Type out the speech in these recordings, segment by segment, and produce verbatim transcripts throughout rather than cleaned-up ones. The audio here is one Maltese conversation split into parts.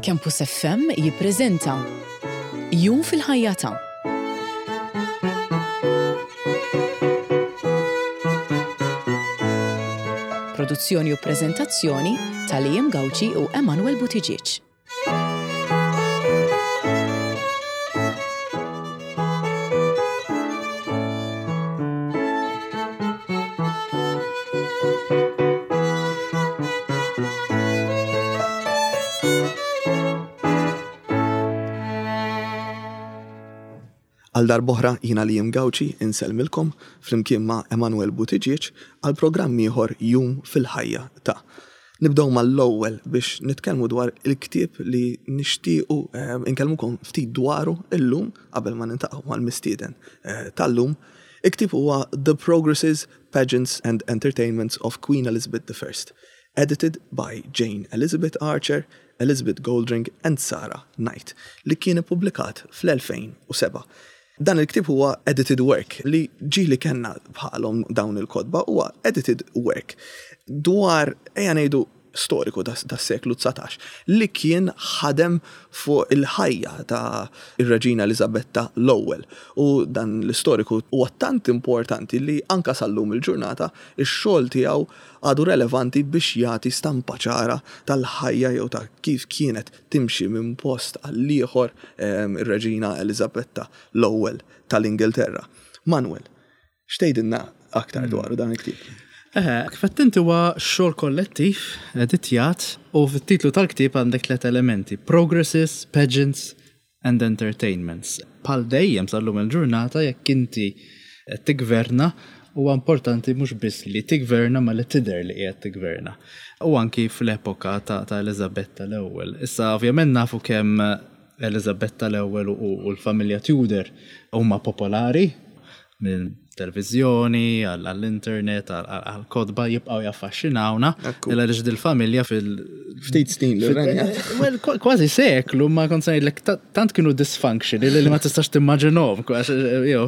Campus F M jippreżenta Jum fil-ħajja ta' Produzzjoni u preżentazzjoni ta' Liam Gauci u Emanuel Buttigieg. Għal darb'oħra, jiena Liam Gauci insellmilkom flimkien ma' Emanuel Buttigieg għal programm ieħor, Jum fil-ħajja ta'. Nibdew mal-ewwel biex nitkellmu dwar il-ktieb li nixtiequ eh, inkellmukom ftit dwaru illum qabel ma niltaqgħu mal-mistieden eh, tal-lum. Il-ktieb huwa The Progresses, Pageants and Entertainments of Queen Elizabeth the First, edited by Jane Elizabeth Archer, Elizabeth Goldring and Sarah Knight, li kien ippubblikat fl-elfejn u sebgħa. Dan il-ktieb huwa edited work li ġieli kellna bħalhom dawn il-kotba. Huwa edited work dwar, ejja ngħidu, storiku tas-seklu dsatax li kien ħadem fuq il-ħajja ta' ir-Reġina Elizabetta l-ewwel. U dan l-istoriku huwa tant importanti li anka sal-lum il-ġurnata ix-xogħol tiegħu għadu relevanti biex jagħti stampa ċara tal-ħajja jew ta' kif kienet timxi minn post għal ieħor ehm, ir-Reġina Elizabetta l-ewwel tal-Ingilterra. Manuel, x'tgħidilna aktar dwaru dan il-ktieb? Eh, kif inti, huwa xogħol kollettiv, editjat, u fit-titlu tal-ktieb għandek tliet elementi: Progresses, Pageants and Entertainments. Bħal dejjem sal-lum il-ġurnata, jekk inti qed tigverna, huwa importanti mhux biss li tigverna ma li tidher li qiegħed tigverna. U anki fl-epoka ta', ta Elizabetta l-ewwel. Issa, ovvjament, nafu kemm Elizabetta l-ewwel u, u l-familja Tudor huma popolari minn televizjoni, għall-internet, għall-kotba, jibqaw jaffaxxinawna. Ekku. Illa dil-familja fil- Ftit snin li renjat. Well, kważi seklu, ma kont se ngħidlek tant kienu dysfunctional li ma tistax timmaġinhom, jew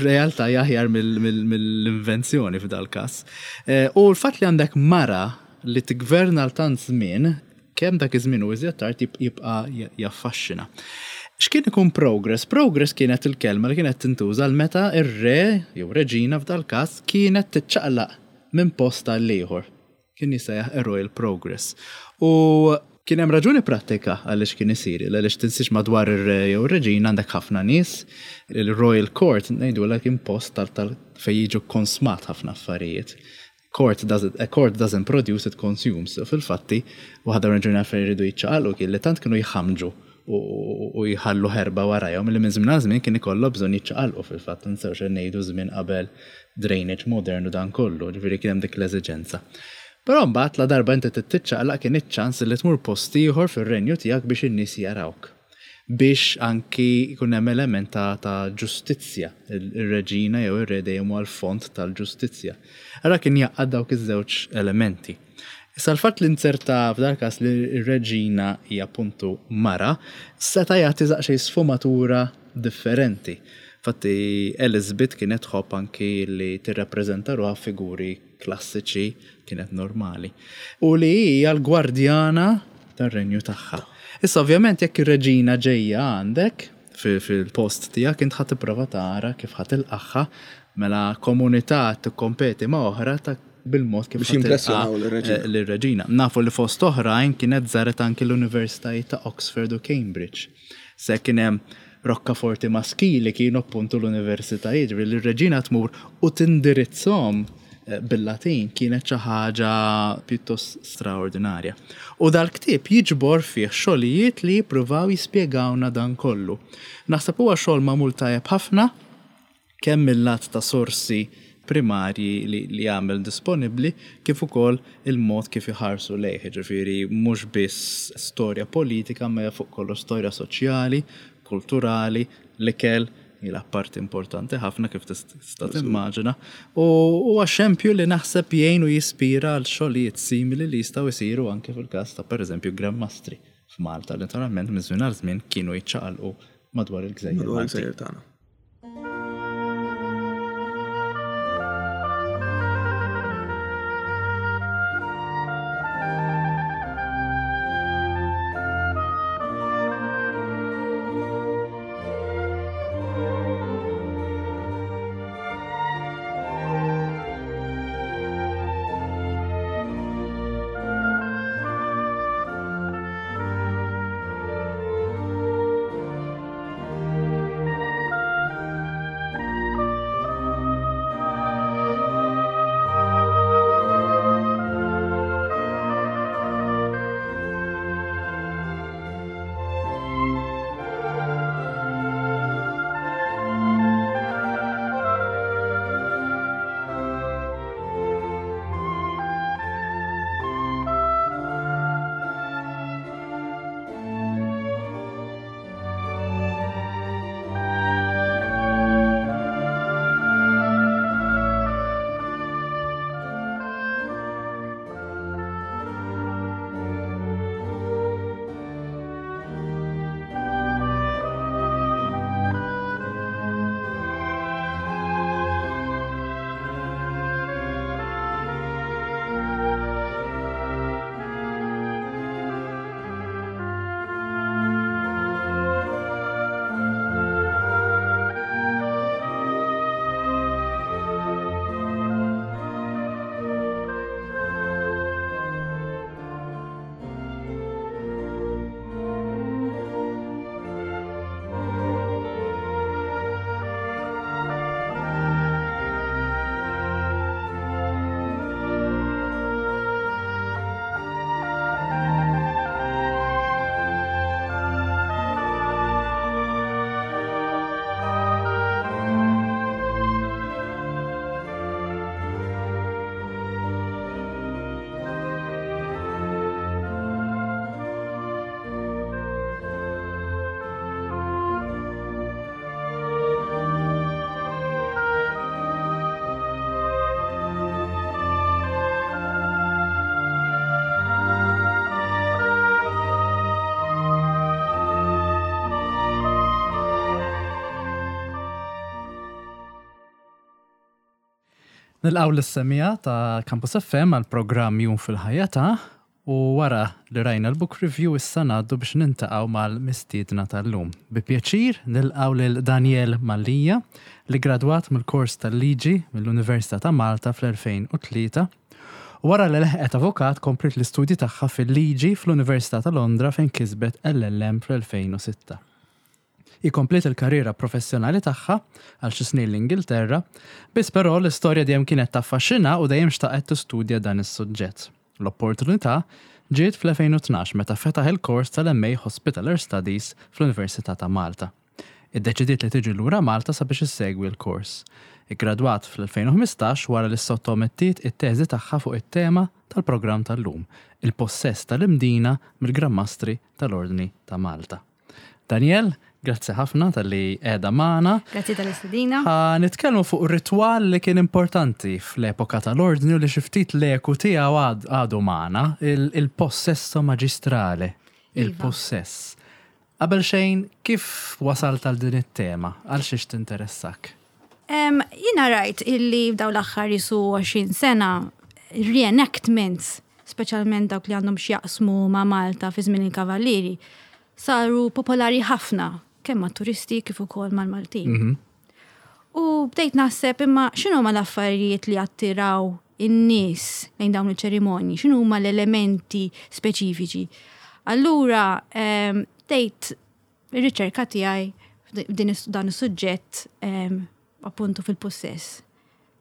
realtà aħjar mill-invenzjoni f'dal każ. Eh, U l-fatt li għandek mara li tigverna l tant żmien, kemm dak iż-żmien u iżjed tard, jibqa' jaffaxxina. X'kien ikun progress? Progress kienet il-kelma li kienet tintuża l meta ir-re jew reġina f'dal każ kienet tiċċaqlaq minn post għal ieħor. Kien jissejjaħ a royal progress. U kien hemm raġuni prattika għaliex kien isir, għaliex tinsiex madwar ir-re jew reġina għandek ħafna nies, il-Royal Court ngħidu kien post tal tal fejn jiġu konsmat ħafna affarijiet. Court doesn't, a court doesn't produce, it consumes. Fil-fatti, waħda raġuni fejn jridu jiċċaqalqu kien li tant kienu jħamġu u jħallu ħerba warajhom li minn żmien għal żmien kien ikollhom bżonn jiċċaqalqu. Fil-fatt, nsewx ngħidu żmien qabel drainage modern u dan kollu, ġifieri kien hemm dik l-eżiġenza. Però mbagħad, la darba inti tiċċaqlaq, kien iċ-ċans li tmur post ieħor fir-renju tiegħek biex in-nies jarawk. Biex anki jkun hemm element ta', ta' ġustizzja, ir-reġina jew ir-re dejjem huwa l-font tal-ġustizzja. Allora kien jgħaqqad dawk iż-żewġ elementi. Issa, l-fatt li nzerta f'dal każ li r-reġina hija appuntu mara, seta' jagħti daqsxejn sfumatura differenti. Fatti, Elizabeth kienet tħobb anki li tirrappreżenta ruħha figuri klassiċi, kienet normali. U li hija l-gwardjana tar-renju tagħha. Issa, ovvjament, jekk ir-reġina ġejja għandek fil-post tiegħek, int ħa tipprova tara kif ħa tilqagħha, mela komunità tikkompeti ma' oħra ta' bil-mod kif biex jimpressjonaw l-reġina. L-reġina. Nafu li fost oħrajn kienet żaret anki l-Universitajiet ta' Oxford u Cambridge. Se kien hemm rokkaforti maskili kienu appuntu l-universitajiet, ġifieri li r-reġina tmur u tindirizzhom eh, bil-Latin kienet xi ħaġa pjuttost straordinarja. U dal-ktieb jiġbor fih xogħlijiet li jippruvaw jispjegawna dan kollu. Naħseb huwa xogħol magħmul tajjeb ħafna, kemm mill-lat ta' sorsi primarji li, li għamel disponibli, kif ukoll il-mod kif iħarsu lejh, ġifieri mhux biss storja politika, ma fuq kollox storja soċjali, kulturali, l-ikel hija parti importanti ħafna, kif tista' timmaġina. U huwa xempju li naħseb jgħin u jispira għal xogħlijiet simili li jistgħu jsiru anke fil-każ ta', pereżempju, Gran Mastri f'Malta, li naturalment minn żmien għal żmien kienu jiċċaqalqu madwar il-gżejjer Madwar Maltin. il-gżejjer tagħna. Nilqgħu lis-semmiegħa ta' Campus F M għal programm Jum fil-Ħajja ta' u wara li rajna l-book review, issa ngħaddu biex niltaqgħu mal-mistiedna tal-lum. Bi pjaċir nilqgħu lil Daniel Mallia, li gradwat mill-kors tal-liġi mill-Università ta' Malta fl-elfejn u tlieta. U wara li leħqet avukat, komplet l-istudji tagħha fil-liġi fl-Università ta' Londra, fejn kisbet L L M fl-elfejn u sitta. Kompliet il-karriera professjonali tagħha għal xi snin l-Ingilterra, biss però l-istorja dejjem kienet taffaxxina u dejjem xtaqet tistudja dan is-suġġett. L-opportunità ġiet fl-elfejn u tnax meta fetaħ il-kors tal-M A Hospitaller Studies fl-Università ta' Malta. Iddeċidiet li tiġi lura Malta sabiex issegwi l-kors. Iggradwat fl-elfejn u ħmistax wara li sottomettiet it-teżi tagħha fuq it-tema tal-programm tal-lum, il-possess tal-Imdina mill-Gran Mastri tal-Ordni ta' Malta. Daniel, grazzi ħafna talli qiegħda magħna. Grazzi tal-istedina. Ħa nitkellmu fuq ritwal li kien importanti fl-epoka tal-ordni u li xi ftit l-eku tiegħu għad- għadu magħna, il- il-possesso magistrale, il-possess. Qabel xejn, kif wasalt għal din it-tema? Għal xiex tinteressak? Um, Jiena rajt illi f'daw l-aħħar jisu għoxrin sena reenactments, speċjalment dawk li għandhom x'jaqsmu ma' Malta fi żmien il-Kavallieri, saru popolari ħafna kemm ma' turisti kif ukoll mal-Maltin. U bdejt naħseb, imma x'inhu ma l-affarijiet li attiraw in-nies lejn dawn il-ċerimonji, x'inhu huma l-elementi speċifiċi? Allura em, bdejt ir-riċerka tiegħi f'din is- dan is-suġġett, em, appuntu fil-possess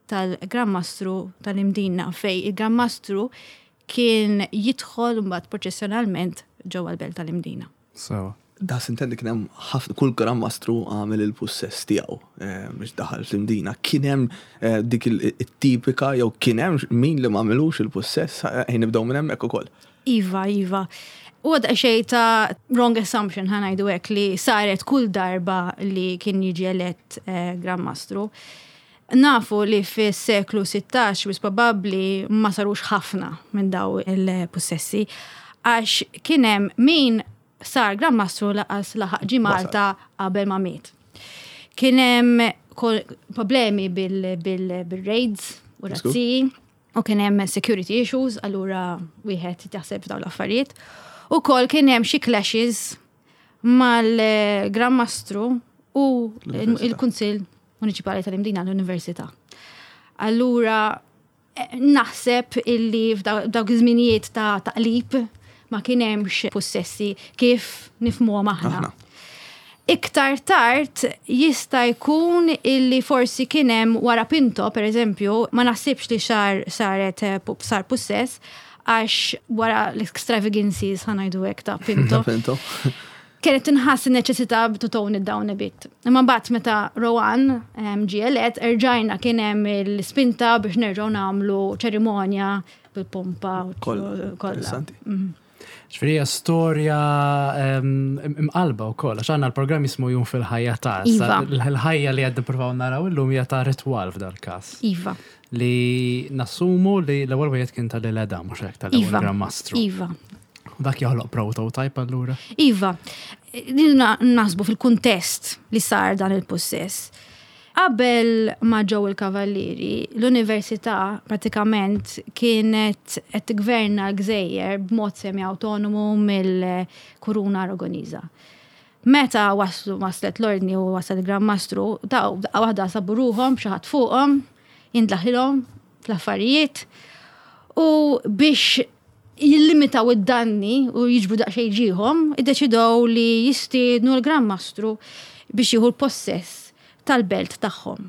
tal-Gran Mastru tal-Imdina, fej il-Gran Mastru kien jidħol mbagħad proċessjonalment ġewwa l-belt tal-Imdina. So. Da sintendi kien hemm ħafna, kull Gran Mastru għamel il-possess tiegħu eh, biex daħal fl-Imdina. Kien hemm eh, dik il- it-tipika jew kien hemm min li ma għamilux il-possess? Ejn nibdew minn hemmhekk ukoll. Iva, Iva. U għad xej ta' wrong assumption, ħa ngħidu hekk, li saret kull darba li kien jiġi elett eh, Gran Mastru. Nafu li fis-seklu sittax wis probabbli ma sarux ħafna minn daw il-possessi, għax kien hemm min sar Gran Mastru lanqas laħaq ġie Malta qabel ma miet. Kien hemm kol- problemi bil-raids u razziji u kien hemm security issues, allura wieħed jaħseb f'dawn l-affarijiet. U kol kien hemm xi clashes mal-Gran Mastru u l-Università. il-Kunsill Municipali tal-Imdina, l-Università. Allura eh, naħseb illi f'dawk iż-żminijiet ta' taqlib ma kien hemmx possessi kif nifhmuhom aħna. Aħna. Iktar tard jista' jkun illi forsi kien hemm wara Pinto, per eżempju, ma naħsibx li xar saret eh, pu- sar possess, għax wara l-extravagancies, ħa ngħidu hekk, ta' Pinto. Pinto. Kienet tinħass il-neċessità to tone it down a bit. Imma mbagħad meta Rowan em, ġie elett, erġajna kien hemm il-spinta biex nerġgħu nagħmlu ċerimonja bil-pompa u Kollha. kollha. Interessanti. Ġifieri hija storja em, imqalba wkoll, għax għandna l-programm jismu Jum fil-Ħajja ta' Iva. Il-ħajja li qed nippruvaw naraw illum hija ta' ritwal f'dal-każ. Iva. Li nassumu li l-ewwel wieħed kien tal-Eleda, mhux hekk, tal-ewwel Iva. Gran Mastru. Iva. U dak joħloq prototype allura. Iva, din naħsbu fil-kuntest li sar dan il-possess. Qabel ma ġew il-Kavallieri, l-università pratikament kienet qed tigverna l-gżejjer b'mod semi-autonomu mill-Kuruna Aragoniża. Meta waslu waslet l-ordni u wasal il-Gran Mastru, daw daqqa waħda sabu ruħhom xi ħadd fuqhom, jindlaħilhom fl-affarijiet u biex jillimitaw id-danni u jiġbru daqsxejn ġieħhom, iddeċidew li jistiednu l-Gran Mastru biex jieħu l-possess tal-belt tagħhom.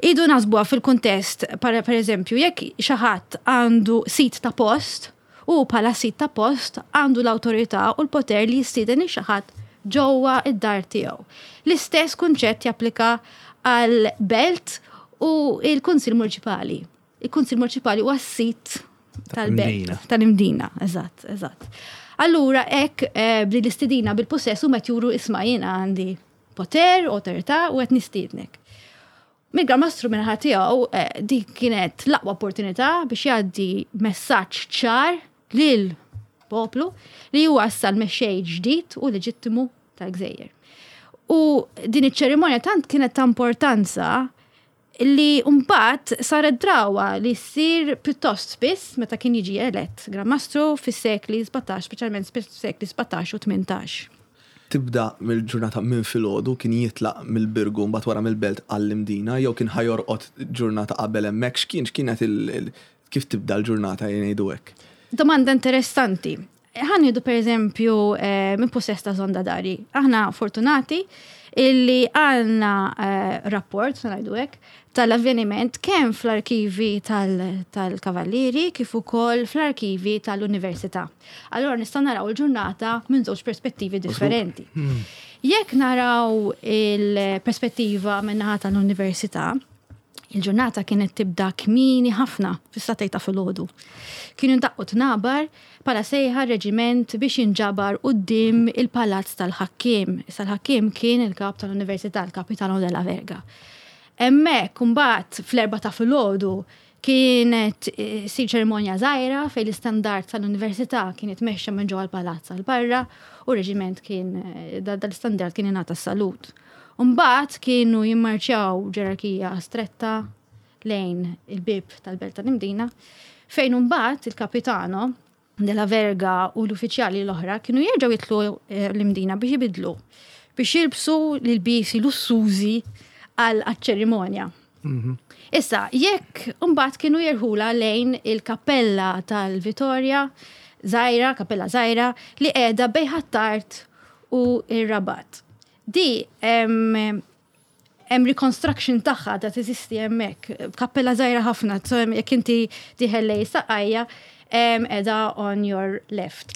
Idu naħsbuha fil-kuntest, per, per eżempju, jekk xi ħadd għandu sit ta' post, u bħala sit ta' post għandu l-awtorità u l-poter li jistieden lil xi ħadd ġewwa id-dar tiegħu. L-istess kunċett japplika għal belt u il-Kunsil Municipali. Il-Kunsil Municipali huwa s-sit tal-belt. Tal-Imdina. Tal-Imdina, eżatt, eżatt. Allura, hekk eh, bli l-istedina bil-possess u met juru, isma', jiena għandi poter, autorità u qed nistiednek. Mill-Gran Mastru minn tiegħu, eh, dik kienet l-aqwa opportunità biex jgħaddi messaġġ ċar lil poplu li huwa issa l-mexxej ġdid u leġittimu tal-gżejjer. U din iċ-ċerimonja tant kienet ta' importanza Li mbagħad saret drawa li ssir pjuttost spiss meta kien jiġi elett Gran Mastru fis-sekli sbatax, speċjalment fis-sekli sbatax u tmintax. Tibda mill-ġurnata minn filgħodu, kien jitlaq mill-Birgu mbagħad wara mill-Belt għall-Imdina, jew kien ħa jorqod ġurnata qabel hemmhekk, x'kien x'kienet il kif tibda l-ġurnata, jgħidu hekk? Domanda interessanti. Ħa nieħdu per eżempju eh, minn possess ta' Zondadari. Aħna fortunati illi għandna eh, rapport, ngħidu hekk, tal-avveniment kemm fl-arkivi tal-Kavallieri kif ukoll fl-arkivi tal-Università. Allora nistgħu naraw il-ġurnata minn żewġ perspettivi differenti. Hmm. Jekk naraw il-perspettiva minn naħa tal-Università, il-ġurnata kienet tibda kmieni ħafna, fis-sagħtejn ta' filgħodu. Kienu ndaqqu tnabar bħala sejħa reġiment biex jinġabar quddiem il-palazz tal-ħakkiem. Issa l-ħakkiem kien il-kap tal-Università, il-Capitano della Verga. Hemmhekk imbagħad fl-erbgħa ta' filgħodu kienet eh, sir ċerimonja żgħira fejn l-istandard tal-Università kienet mexxa minn ġewwa l-palazz għal barra u reġiment kien eh, dal-istandard kien ingħata salut. Mbagħad kienu jimmarċjaw ġerarkija stretta lejn il-bib tal-Belt tal-Imdina, fejn mbagħad il-kapitano della Verga u l-uffiċjali l-oħra kienu jerġgħu jidħlu eh, l-Imdina biex jibidlu, biex jilbsu l-ilbiesi lussużi għal ċerimonja. Mhm. Issa, jekk mbagħad kienu jerħula lejn il-kappella tal-Vitorja, żgħira, kappella żgħira, li qiegħda bejn Ħ'Attard u ir-Rabat. Di hemm reconstruction tagħha ta' teżisti hemmhekk, kappella żgħira ħafna, so jekk inti dieħel lejn Saqqajja, qiegħda on your left.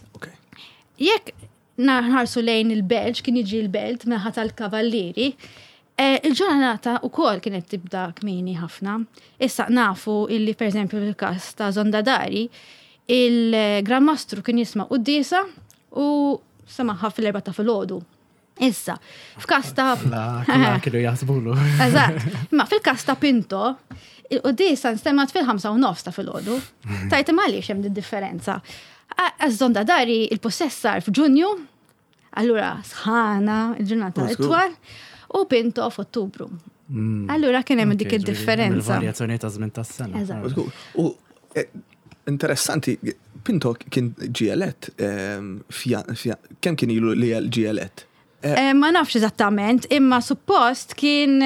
Jekk nħarsu lejn il-Belt, kien jiġi l-Belt min-naħa tal-Kavallieri, eh, il-ġurnata ukoll kienet tibda kmieni ħafna. Issa nafu illi per eżempju fil-kas ta' Zondadari, il-Gran Mastru kien jisma' quddiesa u semagħha fil-erbgħa ta' filgħodu. Issa, f'kas ta' La, kienu jaħsbulu. Eżatt. Ma fil-kas ta' Pinto, il-quddiesa nstemgħet fil-ħamsa u nofs ta' filgħodu. Tajt imma għaliex hemm differenza? Għax Zondadari il-possess sar f'Ġunju, allura sħana, il-ġurnata itwal, u Pinto f'Ottubru. Mm. Allura kien hemm dik id-differenza. Il-varjazzjoni ta' żmien tas-sena. Eżatt. U eh, interessanti, Pinto kien ġie elett, ehm, kemm kien ilu li ġie elett? Eh, ma nafx eżattament, imma suppost kien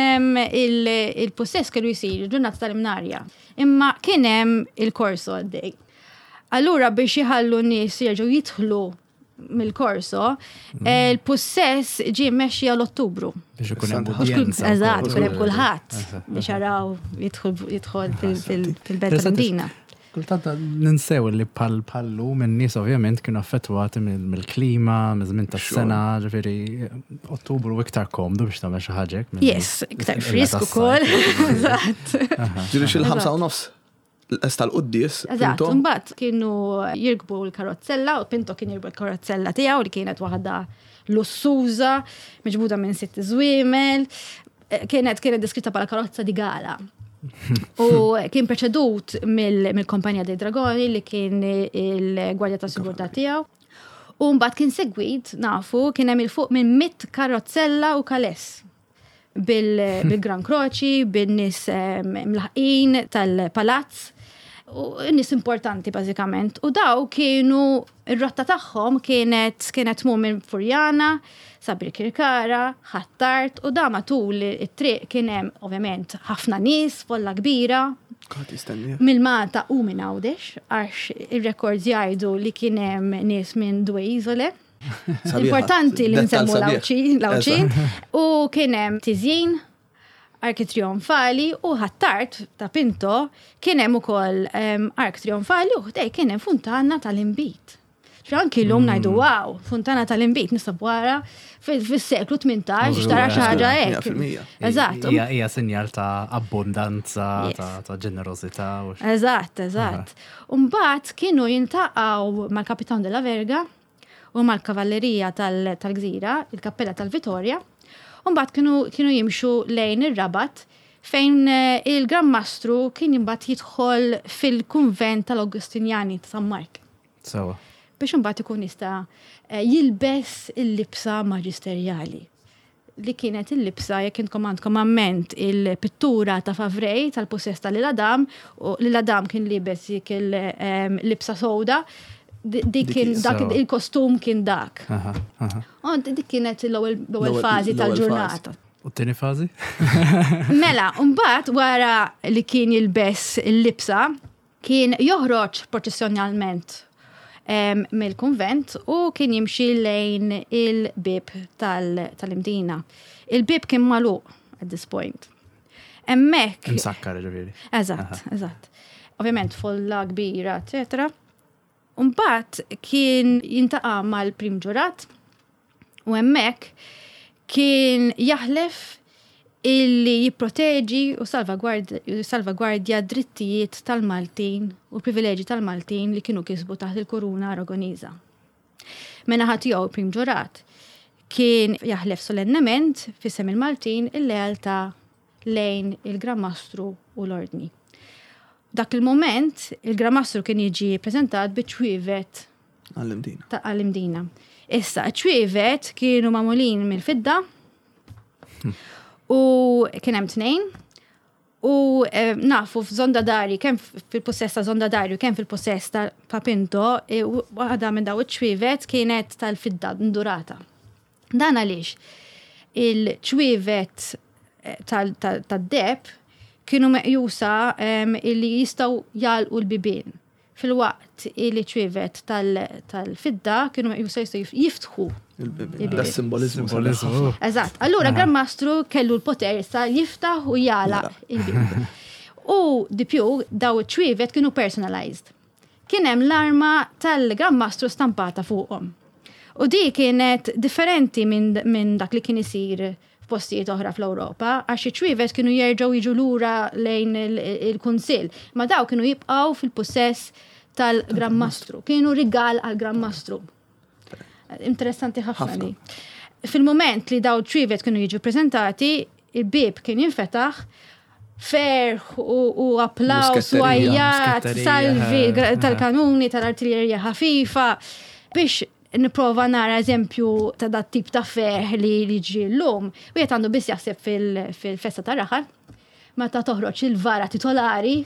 il-possess kellu jisir ġurnata tal-Imnarja. Imma kien hemm il-korso għaddej. Allura biex jħallu n-nies jerġgħu jidħlu mill-korso, mm. il-possess ġie mmexxi għal Ottubru. Biex ikun hemm udjenza. Eżatt, ikun hemm kulħadd biex jaraw jidħol fil-belt tal-Mdina. Kultant ninsew li pal pallu minn nies ovvjament kienu affettwati mill-klima, miż-żmien tas-sena, ġifieri Ottubru iktar komdu biex tagħmel xi ħaġa. Yes, iktar frisk ukoll. Eżatt. Ġifieri xil-ħamsa u nofs l-quddies. Eżatt, mbagħad kienu jirkbu l-karozzella u Pinto kien jirkbu l-karozzella tiegħu li kienet waħda lussuża, miġbuda minn sitt żwiemel, kienet kienet deskritta bħala karozza di gala. U kien preċedut mill-Kompanja dei Dragoni li kien il-Gwardja ta' Sigurtà tiegħu. U mbagħad kien segwit, nafu, kien hemm 'il fuq minn mitt karozzella u kales bil-Gran Kroċi, bin-nies mlaħqin tal-palazz, u nies importanti bażikament. U daw kienu, ir-rotta tagħhom kienet kienet tmur minn Furjana, sa Birkirkara, Ħ'Attard, u da matul it-triq kien hemm ovvjament ħafna nies, folla kbira. Mill-Malta u minn Għawdex, għax ir-records jgħidu li kien hemm nies minn Due Isole. Importanti li nsemmu l-Għawdxin. U kien hemm tiżjin, arki trionfali u Ħ'Attard ta' Pinto kien hemm ukoll ark trionfali u ħdej kien hemm funtana tal-inbid. Anki l-lum mm. ngħidu wow, funtana tal-inbid nista' wara fis-seklu tmintax tara xi ħaġa hekk. Eżatt. Hija sinjal ta' abbondanza, ta' ġenerożità. Eżatt, eżatt. Mbagħad kienu jiltaqgħu mal-Kapitan della Verga u mal-Kavallerija tal-Gżira, il-Kappella tal-Vitorja, u mbagħad kienu kienu jimxu lejn ir-Rabat fejn eh, il-Gran Mastru kien imbagħad jidħol fil-kunvent tal-Augustinjani ta' San Mark. Sewa. Biex imbagħad ikun jista' eh, jilbes il-libsa maġisterjali. li kienet il-libsa, jekk intkom għandkom amment il-pittura ta' Favrej tal-possess ta' L'Isle-Adam, u L'Isle-Adam kien libes dik il-libsa sewda, dik kien dak il-kostum kien dak. U dik kienet l-ewwel fażi tal-ġurnata. U t-tieni fażi? Mela, mbagħad wara li kien jilbes il-libsa, kien joħroġ proċessjonalment mill-kunvent u kien jimxi lejn il-bib tal-Imdina. Il-bib kien magħluq at this point. Hemmhekk. Imsakkar ġifieri. Eżatt, eżatt. Ovvjament folla kbira, eċetera. Mbagħad kien jiltaqa' mal-prim ġurat u hemmhekk kien jaħlef illi jipproteġi u salvagwardja drittijiet tal-Maltin u privileġi tal-Maltin li kienu kisbu taħt il-Kuruna Aragoniża. Min-naħa tiegħu prim ġurat kien jaħlef solennement f'isem il-Maltin il-lealtà lejn il-Gran Mastru u l-Ordni. Dak il-moment, il-Gran Mastru kien jiġi prezentat bi ċwievet Għall-Imdina. Għall-Imdina. Issa, ċwievet kienu magħmulin mill-fidda u kien hemm tnejn u nafu f'Zonda Dari, kemm fil-possess ta' Zonda Dari u kemm fil-possess ta' Pinto, waħda minn daw iċ-ċwievet kienet tal-fidda ndurata. Dan għaliex il-ċwievet tad-deheb kienu meqjusa illi jistgħu jagħlqu l-bibien. Filwaqt illi ċwievet tal-fidda kienu meqjusa jistgħu jiftħu. Da simbolizmu. Eżatt. Allura Gran Mastru kellu l-poter sa jiftaħ u jagħlaq il-bib. U di più daw iċ-ċwievet kienu personalized. Kien hemm l-arma tal-Gran Mastru stampata fuqhom. U di kienet differenti minn dak li kien isir f'postijiet oħra fl-Ewropa, għax iċ-ċwievet kienu jerġgħu jiġu lura lejn il-Kunsill, ma daw kienu jibqgħu fil-possess tal-Gran Mastru. Kienu rigal għal-Gran Mastru. Interessanti ħafna li. Fil-moment li daw ċwievet kienu jiġu prezentati, il-bib kien jinfetaħ, ferħ u applaus u għajjat, salvi tal-kanuni, tal-artiljerija ħafifa, biex nipprova nara eżempju ta' dat tip ta' ferħ li jiġi l-lum. U jgħet għandu biss jaħseb fil-festa ta' raħal, meta toħroġ il-vara titolari,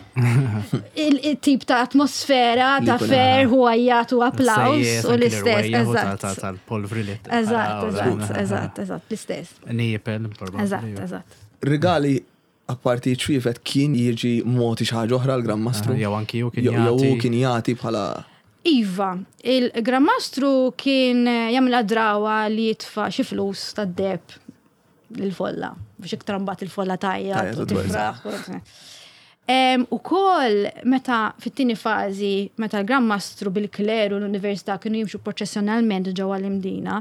il-tip ta' atmosfera, ta' ferħ u għajjat u applaus u l-istess. Eżatt. Tal-polvri li. Eżatt, eżatt, eżatt, eżatt, l-istess. Nijipel, Eżatt, eżatt. Rigali apparti ċwievet kien jiġi mogħti xi ħaġa oħra l-Gran Mastru. Jew anki hu kien jagħti. Jew kien jagħti bħala. Iva, il-Gran Mastru kien jagħmilha drawa li jitfa' xi flus tad-deheb lill-folla, biex iktar mbagħad il-folla tajja u tifraħ. Ukoll meta fit-tieni fażi, meta l-Gran Mastru bil-kleru l-università kienu jimxu proċessjonalment ġewwa l-Imdina,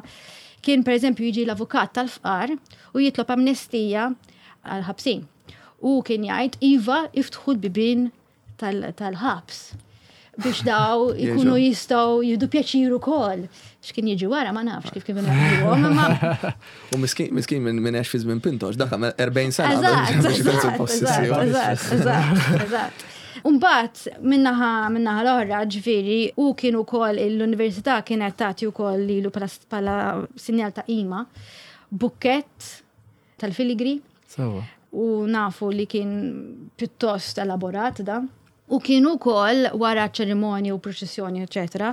kien pereżempju jiġi l-avukat tal-fqar u jitlob amnestija għal-ħabsin. U kien jgħid iva iftħu l-bibien tal-ħabs biex daw ikunu jistgħu jieħdu pjaċir ukoll. X'kien jiġi wara ma nafx kif kif inħabbuhom, imma U miskin miskin minn minn għex fi żmien Pinto, dak għamel erbgħin sena qabel biex ikun Eżatt, eżatt, eżatt. Umbagħad minnaħa minnaħa l-oħra ġifieri u kien ukoll l-università kienet tagħti wkoll lilu bħala sinjal ta' qima bukkett tal-filigri. Sewa. U nafu li kien pjuttost elaborat da. U kienu wkoll wara ċerimonji u proċessjoni, eċetera,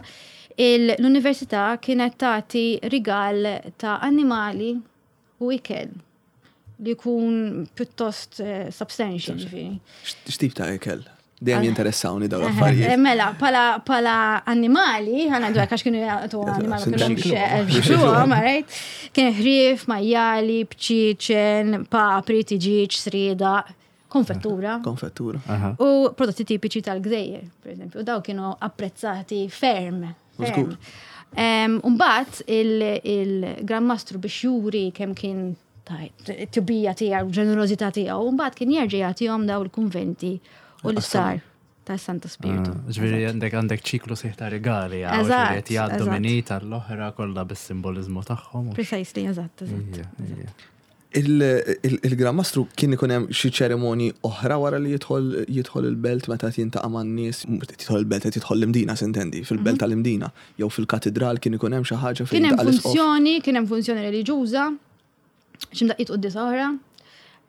l-università kienet tagħti rigal ta' annimali u ikel li jkun pjuttost substantial, ġifieri. X'tip ta' ikel? Dejjem jinteressawni dawn l-affarijiet. Mela, pala annimali, ħana dwar għax kienu jagħtu annimali kienu right? Kien ħrief, majjali, bċieċen, papri, tiġiġ, srieda, konfettura. Konfettura. U prodotti tipiċi tal-gżejjer, per eżempju, daw kienu apprezzati ferm. Umbagħad il-Gran Mastru biex juri kemm kien tjubija tiegħu, ġenerożità tiegħu, mbagħad kien jerġa' jagħtihom daw il-kunventi u l-istar ta' Santa Spiritu. Ġifieri għandek għandek ċiklu sħiħ ta' regali, eżatt, jgħaddu minn tal-oħra kollha bis-simbolizmu tagħhom. Precisely, eżatt, eżatt. Il-Gran Mastru kien ikun hemm xi ċerimonji oħra wara li jidħol jidħol il-belt meta jintaqa' man-nies, jidħol il-belt qed jidħol l-Imdina sintendi, fil-belt tal-Imdina, jew fil-katedral kien ikun hemm xi ħaġa fejn. Kien hemm funzjoni, kien hemm funzjoni reliġjuża X'imdaqqiet quddiesa oħra.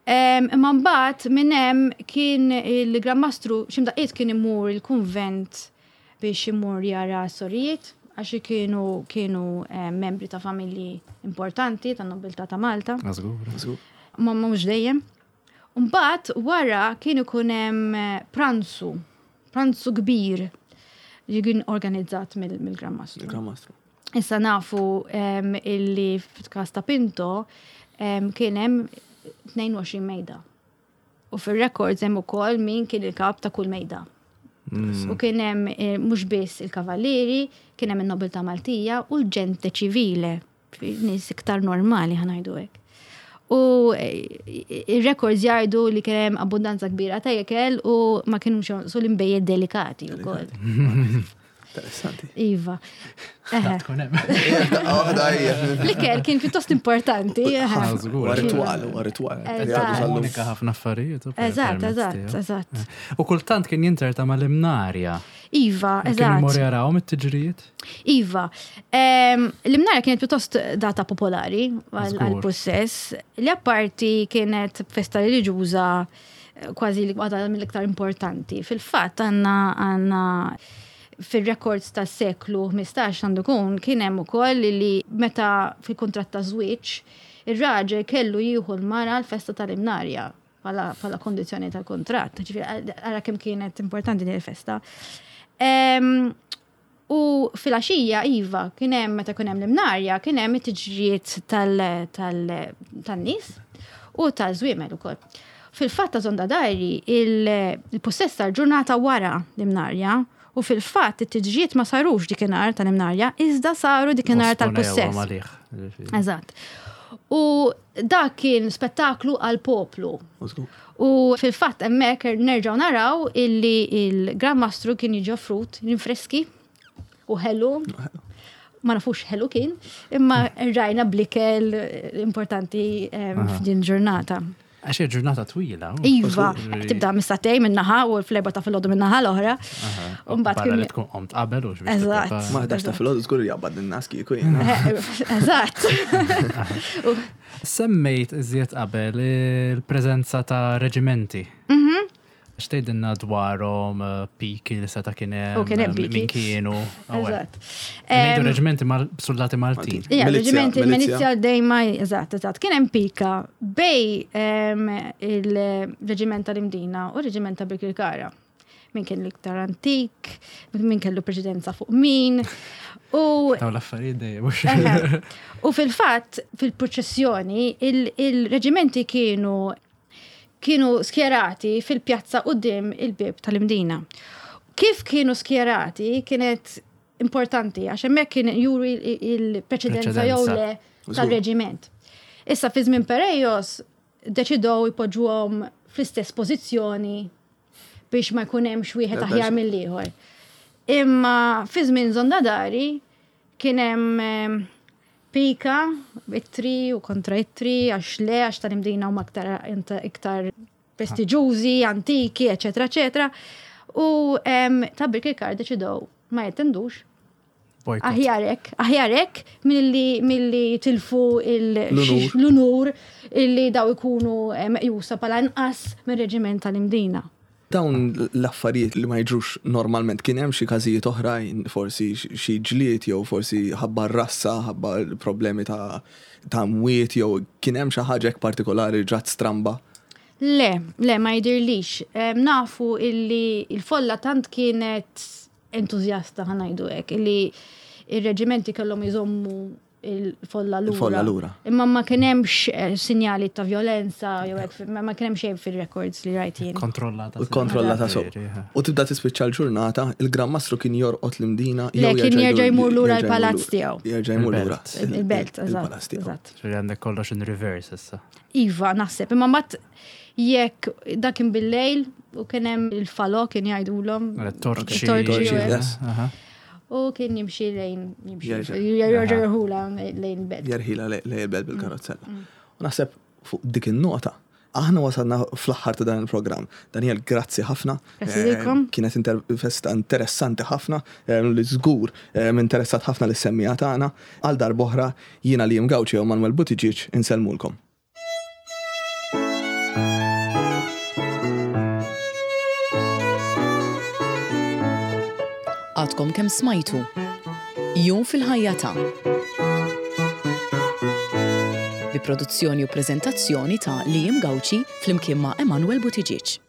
Imma mbagħad minn hemm kien il-Gran Mastru x'imdaqqiet kien imur il-kunvent biex imur jara sorijiet għax kienu kienu membri ta' familji importanti ta' nobiltà ta' Malta. Ma mhux dejjem. Mbagħad wara kien ikun hemm pranzu, pranzu kbir li kien organizzat mill-Gran Mastru. Il-Gran Mastru. Issa nafu illi f'każ ta' Pinto kien hemm tnejn u għoxrin mejda. U fir-records hemm ukoll min kien il-kap ta' kull mejda. U kien hemm mhux biss il-kavallieri, kien hemm in-nobiltà Maltija u l-ġente ċivile, nies iktar normali ħanajdu hekk. U ir-records jgħidu li kien hemm abbundanza kbira ta' ikel u ma kienux jonqsu l-inbejjed delikati wkoll. Interessanti. Iva. L-ikel kien pjuttost importanti. Huwa ritwal, huwa ritwal. Komunika ħafna affarijiet. Eżatt, eżatt, eżatt. U kultant kien jinterta mal-imnarja. Iva, eżatt. Kien imur jarawhom it-tiġrijiet? Iva. L-imnarja kienet pjuttost data popolari għal-possess. Li apparti kienet festa reliġjuża kważi waħda mill-iktar importanti. Fil-fatt għandna għandna fil-records tas seklu ħmistax għandu kun kien hemm ukoll li meta fil-kuntratt ta' żwieġ ir-raġel kellu jieħu l-mara l-festa tal-imnarja bħala kondizzjoni tal-kuntratt. Ġifieri ara kemm kienet importanti din il-festa. U fil-għaxija iva kien hemm meta kien hemm l-imnarja kien hemm it-tiġrijiet tan-nies u tal-żwiemel ukoll. Fil-fatt ta' Zonda Dajri il-possess tal-ġurnata wara l-imnarja. U fil-fatt it-tiġrijiet ma sarux dikinhar tal-imnarja, iżda saru dikinhar tal-possess. Eżatt. U dak kien spettaklu għal poplu. U fil-fatt hemmhekk nerġgħu naraw illi il-Gran Mastru kien jiġi offrut rinfreski u ħelu. Ma nafux ħelu kien, imma rajna blikel importanti f'din ġurnata. Għax hija ġurnata twila. Iva, tibda mis-satej minnaħa u fl-erba ta' filgħodu minnaħa l-oħra. U mbagħad kien tkun qomt qabel u xbiex. Eżatt. Ma ħdax ta' filgħodu żgur jaqbad in-nas kieku jien. Eżatt. Semmejt iżjed qabel il-preżenza ta' reġimenti. X'tgħidilna dwarhom piki li seta' kien hemm, min kienu. Eżatt. Ngħidu reġimenti soldati Maltin. Ija, reġimenti milizja dejma, eżatt, eżatt. Kien hemm pika bej il-reġiment tal-Imdina u reġiment ta' Birkirkara. Min kien l-iktar antik, min kellu preċedenza fuq min. U dawn l-affarijiet dejjem. U fil-fatt, fil-proċessjoni, il-reġimenti kienu kienu skjerati fil-pjazza quddiem il-bib tal-Imdina. Kif kienu skjerati kienet importanti għax hemmhekk kien juri il-preċedenza jew le tal-reġiment. Issa fi żmien Perejos deċidew jpoġġuhom fl-istess pożizzjoni biex ma jkun hemmx wieħed aħjar mill-ieħor. Imma fi żmien Zonda Dari kien hemm pika, ittri u kontra ittri, għax le, għax tal-Imdina huma aktar iktar prestiġjużi, antiki, eċetera, eċetera. U ta' Birkirkara deċidew ma jattendux. Aħjarek, aħjarek milli milli tilfu l-unur illi daw ikunu meqjusa bħala inqas mir-reġiment tal-Imdina. Dawn l-affarijiet li ma jiġrux normalment, kien hemm xi każijiet oħrajn, forsi xi ġlied jew forsi ħabba r-rassa, ħabba problemi ta' ta' mwiet jew kien hemm xi ħaġa hekk partikolari ġrat stramba? Le, le ma jidhirlix. Nafu illi il-folla tant kienet entużjasta ħanajdu hekk illi ir-reġimenti kellhom iżommu il-folla lura. Il-folla lura. Imma ma kien hemmx sinjali ta' violenza jew hekk, ma kien hemm xejn fir-records li rajt jien. Kontrollata. Kontrollata so. U tibda tispiċċa l-ġurnata, il-Gran Mastru kien jorqod l-Imdina jew kien jerġa' jmur lura l-palazz tiegħu. Jerġa' jmur lura. Il-belt, eżatt. Ġifieri għandek kollox in reverse issa. Iva, naħseb, imma mbagħad jekk dak kien bil-lejl u kien hemm il-falò kien jgħidulhom. Torċi. U kien jimxi lejn, jimxi, jerġa' jerħula lejn il-belt. Jerħila lejn il-belt bil-karozzella. U naħseb fuq dik in-nota, aħna wasalna fl-aħħar ta' dan il-programm. Daniel, grazzi ħafna. Grazzi lilkom. Kienet intervista interessanti ħafna, li żgur interessat ħafna lis-semmiegħa tagħna. Għal darb'oħra jiena Liam Gauci u Manuel Buttigieg insellmulkom. kemm smajtu Jum fil-ħajja ta' bi produzzjoni u preżentazzjoni ta' Liam Gauci flimkien ma' Emanuel Buttigieg.